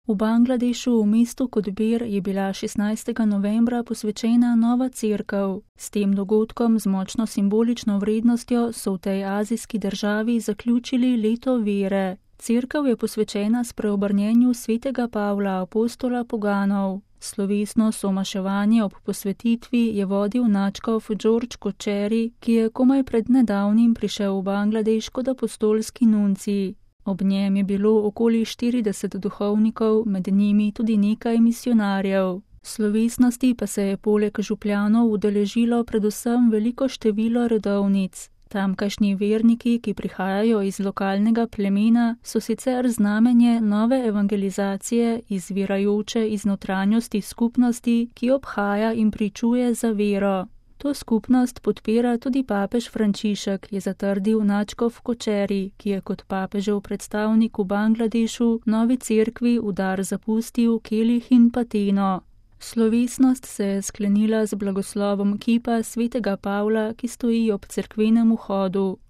V Bangladešu v mestu Kotbir je bila 16. novembra posvečena nova cerkev. S tem dogodkom z močno simbolično vrednostjo so v tej azijski državi zaključili leto vere. Cerkev je posvečena spreobrnjenju svetega Pavla, apostola poganov. Slovesno somaševanje ob posvetitvi je vodil nadškof George Kočeri, ki je komaj pred nedavnim prišel v Bangladeš kot apostolski nuncij. Ob njem je bilo okoli 40 duhovnikov, med njimi tudi nekaj misijonarjev. Slovesnosti pa se je poleg župljanov udeležilo predvsem veliko število redovnic. Tamkajšnji verniki, ki prihajajo iz lokalnega plemena, so sicer znamenje nove evangelizacije, izvirajoče iz notranjosti skupnosti, ki obhaja in pričuje za vero. To skupnost podpira tudi papež Frančišek, je zatrdil nadškof Kočeri, ki je kot papežev predstavnik v Bangladešu novi cerkvi v dar zapustil kelih in pateno. Slovesnost se je sklenila z blagoslovom kipa svetega Pavla, ki stoji ob cerkvenem vhodu.